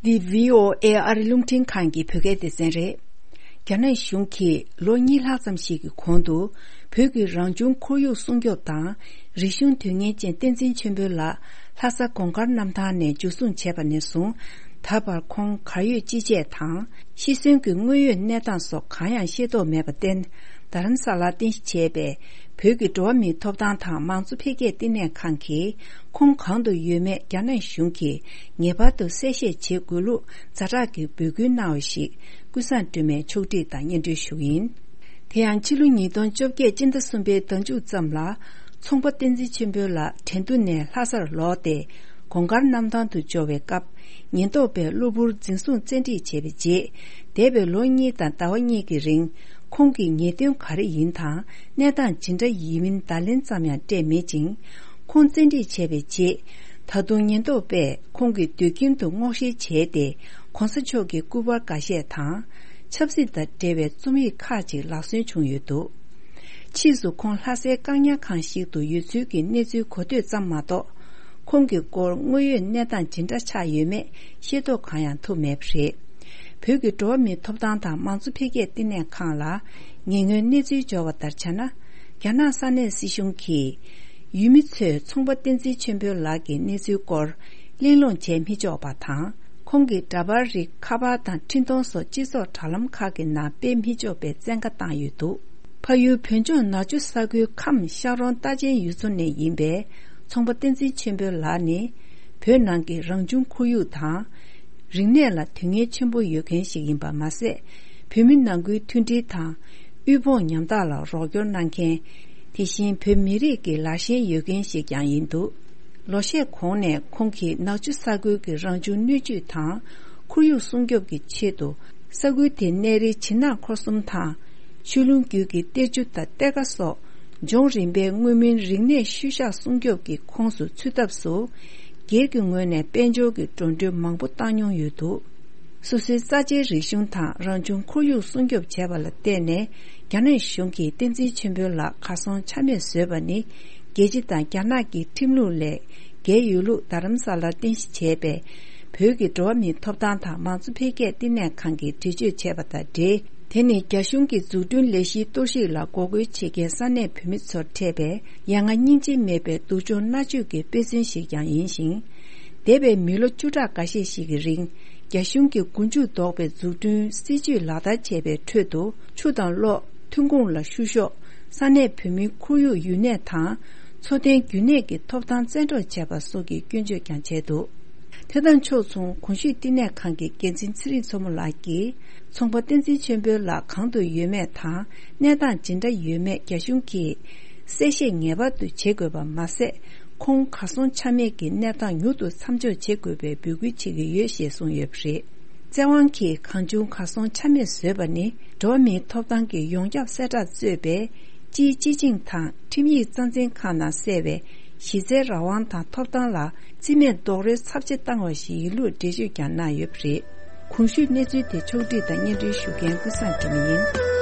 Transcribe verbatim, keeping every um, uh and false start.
འདི་བྷི་ཨོ་ཨེ་ཨ་རི་རླུང་འཕྲིན་ཁང་གི་བོད་སྐད་སྡེ་ཚན་རེད། རྒྱ་ནག་གཞུང་གིས་ལོ་གཉིས་ལྷག་ཙམ་ཞིག་གི་གོང་དུ་བོད་ཀྱི་རང་བྱུང་ཁོར་ཡུག་སྲུང་སྐྱོབ་དང་རིག་གཞུང་དོན་གཉེར་ཅན་བསྟན་འཛིན་ཆོས་འཕེལ་ལགས་ལྷ་ས་གོང་དཀར་གནམ་ཐང་ནས་འཇུ་བཟུང་བྱས་པ་ནས་བཟུང་ད་བར་ཁོང་གར་ཡོད་ཅི་བྱས་དང་ཤི་གསོན་གྱི་དངོས་ཡོད་གནས་སྟངས་སོགས་གང་ཡང་ཤེས་རྟོགས་མེད་པར་བརྟེན། རྡ་རམ་ས་ལར་རྟེན་གཞི་བྱས་པའི་བོད་ཀྱི་འགྲོ་བ་མིའི་ཐོབ་ཐང་དང་མང་གཙོ་འཕེལ་རྒྱས་བསྟི་གནས་ཁང་གིས་ཁོང་གང་དུ་ཡོད་མེད་རྒྱ་ནག་གཞུང་གིས་ངེས་པར་དུ་གསལ་བཤད་བྱེད་དགོས་ལུགས་ཛ་དྲག་གི་འབོད་སྐུལ་གནང་བ་ཞིག་ཀུན་བཟང་སྒྲོལ་མས་ཕྱོགས་སྒྲིག་དང་སྙན་སྒྲོན་ཞུ་གི་ཡིན། དེ་ཡང་ཕྱི་ལོ་ཉིས་སྟོང་བཅོ་བརྒྱད་སྤྱི་ཟླ་གསུམ་པའི་ཟླ་མཇུག་ཙམ་ལ་ཚོང་པ་བསྟན་འཛིན་ཆོས་འཕེལ་ལགས་དྲན་རྟུལ་ནས་ལྷ་སར་ལོག་སྟེ་གོང་དཀར་གནམ་ཐང་དུ་འབྱོར་བའི་སྐབས་ཉེན་རྟོག་པས་གློ་བུར་འཛིན་བཟུང་བཙན་ཁྲིད་བྱས་པའི་རྗེས་འདས་པའི་ལོ་གཉིས་དང་ཟླ་བ་གཉིས་ཀྱི་རིང་ཁོང་གི་ཉེས་དོན་ག་རེ་ཡིན་དང་གནས་སྟངས་ཇི་འདྲ་ཡིན་མིན་བརྡ་ལན་ཙམ་ཡང་སྤྲད་མེད་ཅིང་། ཁོང་བཙན་ཁྲིད་བྱས་པའི་རྗེས། ད་དུང་ཉེན་རྟོག་པས་ཁོང་གི་སྡོད་ཁྱིམ་དུ་སྔོག་བཤེར་བྱས་ཏེ། ྋགོང་ས་མཆོག་གི་སྐུ་པར་འགའ་ཤས་དང་། ཆབ་སྲིད་དང་འབྲེལ་བའི་རྩོམ་ཡིག་ཁག་ཅིག་ལག་སོན་བྱུང་ཡོད་འདུག་ཕྱིས་སུ་ཁོང་ལྷ་སའི་བཀག་ཉར་ཁང་ཞིག་ཏུ་ཡོད་ཚུལ་གྱི་གནས་ཚུལ་གོ་ཐོས་ཙམ་མ་གཏོགས། ཁོང་གི་སྐོར་དངོས་ཡོད་གནས་སྟངས་ཇི་འདྲ་ཆགས་ཡོད་མེད་ཤེས་རྟོགས་གང་ཡང་ཐུབ་མེད་པ་རེད། བོད་ཀྱི་འགྲོ་བ་མིའི་ཐོབ་ཐང་དང་མང་གཙོ་འཕེལ་རྒྱས་བསྟི་གནས་ཁང་ལ་ཉེ་སྔོན་གནས་ཚུལ་འབྱོར་བ་ལྟར་བྱས་ན། རྒྱ་ནག་ས་གནས་སྲིད་གཞུང་གིས་ཡུལ་མི་ཚོས་ཚོང་པ་བསྟན་འཛིན་ཆོས་འཕེལ་ལགས་ཀྱི་གནས་ཚུལ་སྐོར་གླེང་སློང་བྱས་མི་ཆོག་པ་དང་། ཁོང་གི་འདྲ་པར་རིགས་ཁ་པར་དང་འཕྲིན་གཏོང་སོགས་སྤྱི་ཚོགས་དྲ་ལམ་ཁག་གི་ནང་སྤེལ་མི་ཆོག་པའི་བཙན་བཀའ་བཏང་ཡོད་འདུག་ཕ་ཡུལ་བོད་ལྗོངས་ནག་ཆུ་ས་ཁུལ་ཁམས་ཤག་རོང་རྟ་ཅན་ཡུལ་ཚོ་ནས་ཡིན་པའི་ཚོང་པ་བསྟན་འཛིན་ཆོས་འཕེལ་ལགས་ནི། བོད་ནང་གི་རང་བྱུང་ཁོར་ཡུག་དང་། རིག་གནས་ལ་དོན་གཉེར་ཆེན་པོ་ཡོད་མཁན་ཞིག་ཡིན་པ་མ་ཟད། བོད་མི་ནང་ཁུལ་མཐུན་སྒྲིལ་དང་། དབུལ་ཕོངས་ཉམ་ཐག་ལ་རོགས་སྐྱོར་གནང་མཁན། དེ་བཞིན་བོད་མི་རིགས་ཀྱི་ལར་ཞེན་ཡོད་མཁན་ཞིག་ཀྱང་ཡིན་འདུག་ལོ་ཤས་གོང་ནས་ཁོང་གིས་ནག་ཆུ་ས་ཁུལ་གྱི་རང་བྱུང་སྣོད་བཅུད་དང་ཁོར་ཡུག་སྲུང་སྐྱོབ་ཀྱི་ཆེད་དུ། ས་ཁུལ་དེའི་གནས་རིའི་བྱིན་ནག་འཁོར་གསུམ་དང་། ཆོས་ལུང་རྒྱུད་ཀྱི་གཏེར་ཆུ་དང་གཏེར་ཁ་སོགས། ལྗོངས་རིམ་པའི་མངོན་མིན་རིག་གནས་ཤུལ་བཞག་སྲུང་སྐྱོབ་ཀྱི་ཁོངས་སུ་ཚུད་ཐབས་སུ། སྒེར་གྱི་ངོས་ནས་དཔལ་འབྱོར་གྱི་འགྲོ་གྲོན་མང་པོ་བཏང་མྱོང་ཡོད་འདུག་སོ་སོའི་རྩ་ཆེའི་རིག་གཞུང་དང་རང་བྱུང་ཁོར་ཡུག་སྲུང་སྐྱོབ་བྱས་པ་ལ་བརྟེན་ནས། རྒྱ་ནག་གཞུང་གིས་བསྟན་འཛིན་ཆོས་འཕེལ་ལགས་གར་སོང་ཆ་མེད་བཟོས་པ་ནི། རྒྱལ་སྤྱི་དང་རྒྱ་ནག་གི་ཁྲིམས་ལུགས་ལས་འགལ་ཡོད་ལུགས་རྡ་རམ་ས་ལར་རྟེན་གཞི་བྱས་པའི་བོད་ཀྱི་འགྲོ་བ་མིའི་ཐོབ་ཐང་དང་མང་གཙོ་འཕེལ་རྒྱས་བསྟི་གནས་ཁང་གིས་འགྲེལ་བརྗོད་བྱས་པ་དང་འབྲེལ། དེ་ནི་རྒྱ་གཞུང་གི་འཛུགས་སྐྲུན་ལས་གཞིའི་གཏོར་བཤིག་ལ་འགོག་རྒོལ་བྱེད་མཁན་ས་གནས་བོད་མི་ཚོར་འཕྲད་པའི་ཡ་ང་སྙིང་རྗེ་མེད་པའི་སྡུག་སྦྱོང་མནར་གཅོད་ཀྱི་དཔེ་མཚོན་ཞིག་ཀྱང་ཡིན་ཞིང་། འདས་པའི་མི་ལོ་བཅུ་ཕྲག་འགའ་ཤས་ཤིག་གི་རིང་། རྒྱ་གཞུང་གི་མགོ་མཇུག་ལྡོག་པའི་འཛུགས་སྐྲུན་སྲིད་ཇུས་ལག་བསྟར་བྱས་པའི་ཁྲོད་དུ། ཆུ་དང་གློག་ཐོན་ཁུངས་ལ་བཤུ་གཞོག་ས་གནས་བོད་མིའི་ཁོར་ཡུག་ཡུལ་གནས་དང་། འཚོ་རྟེན་རྒྱུན་གནས་ཀྱི་ཐོབ་ཐང་བཙན་འཕྲོག་བྱས་པ་སོགས་ཀྱི་སྐྱོན་བརྗོད་ཀྱང་བྱས་འདུག་དེ་དང་ཕྱོགས་མཚུངས། གོང་ཞུས་བསྟི་གནས་ཁང་གི་འགན་འཛིན་ཚེ་རིང་མཚོ་མོ་ལགས་ཀྱིས། ཚོང་པ་བསྟན་འཛིན་ཆོས་འཕེལ་ལགས་གང་དུ་ཡོད་མེད་དང་། གནས་སྟངས་ཇི་འདྲ་ཡོད་མེད་རྒྱ་གཞུང་གིས་གསལ་བཤད་ངེས་པར་དུ་བྱེད་དགོས་པ་མ་ཟད། ཁོང་གར་སོང་ཆ་མེད་ཀྱི་གནས་སྟངས་མྱུར་དུ་མཚམས་འཇོག་བྱེད་དགོས་པའི་འབོད་སྐུལ་བྱེད་ཀྱི་ཡོད་ཞེས་གསུངས་ཡོད་པ་རེད། བཙན་དབང་གིས་གང་བྱུང་གར་སོང་ཆ་མེད་བཟོས་པ་ནི། འགྲོ་བ་མིའི་ཐོབ་ཐང་གི་ཡོངས་ཁྱབ་གསལ་བསྒྲགས་གཙོས་པའི་སྤྱིའི་སྤྱི་བྱིངས་དང་ཁྲིམས་ཡིག་རྩ་འཛིན་ཁང་ནང་གསལ་བའི་གཞི་རྩའི་རང་དབང་དང་ཐོབ་ཐང་ལ་རྩིས་མེད་རྡོག་རོལ་ཚབས་ཆེ་བཏང་བ་ཞིག་ཡིན་ལུགས་འགྲེལ་བརྗོད་ཀྱང་གནང་ཡོད་པ་རེད། གོང་ཞུས་གནས་ཚུལ་དེ་ཕྱོགས་བསྒྲིགས་དང་སྙན་སྒྲོན་ཞུ་མཁན་ཀུན་བཟང་སྒྲོལ་མ་ཡིན།